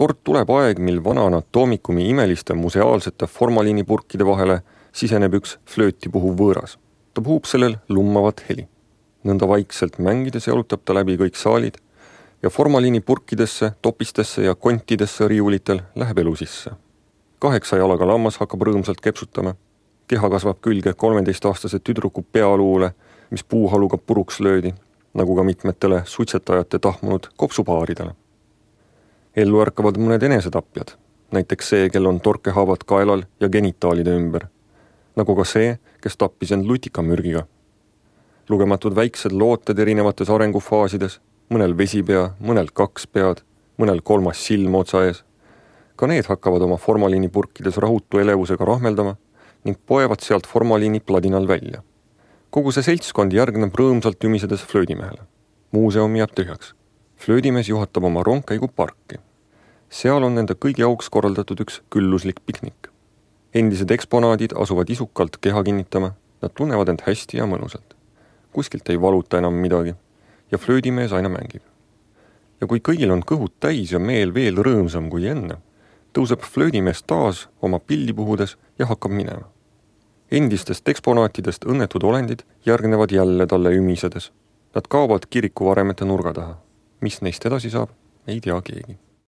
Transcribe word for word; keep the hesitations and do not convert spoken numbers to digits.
Kord tuleb aeg, mil vana anatoomikumi imeliste museaalsete formaliinipurkide vahele siseneb üks flööti puhuv võõras. Ta puhub sellel lummavat heli. Nõnda vaikselt mängides jalutab ta läbi kõik saalid ja formaliinipurkidesse, topistesse ja kontidesse riiulitel läheb elu sisse. Kaheksa jalaga lammas hakkab rõõmsalt kepsutama. Keha kasvab külge kolmeteistaastase tüdruku pealuule, mis puuhaluga puruks löödi, nagu ka mitmetele suitsetajate tahmunud kopsupaaridele. Ellu ärkavad mõned enesetapjad, näiteks see, kel on torkehaavad kaelal ja genitaalide ümber, nagu ka see, kes tappis end lutikamürgiga. Lugematud väiksed looted erinevates arengufaasides, mõnel vesipea, mõnel kaks pead, mõnel kolmas silm otsa ees. Ka need hakkavad oma formaliinipurkides rahutu elevusega rahmeldama ning poevad sealt formaliini pladinal välja. Kogu see seltskond järgneb rõõmsalt ümisedes flöödimehele. Muuseum jääb tühjaks. Flöödimees juhatab oma rongkäigu parki. Seal on nende kõigi auks korraldatud üks külluslik piknik. Endised eksponaadid asuvad isukalt keha kinnitama, nad tunnevad end hästi ja mõnusalt. Kuskilt ei valuta enam midagi ja flöödimees aina mängib. Ja kui kõigil on kõhud täis ja meel veel rõõmsam kui enne, tõuseb flöödimees taas oma pilli puhudes ja hakkab minema. Endistest eksponaatidest õnnetud olendid järgnevad jälle talle ümisedes. Nad kaovad kiriku varemete nurga taha. Mis neist edasi saab, ei tea keegi.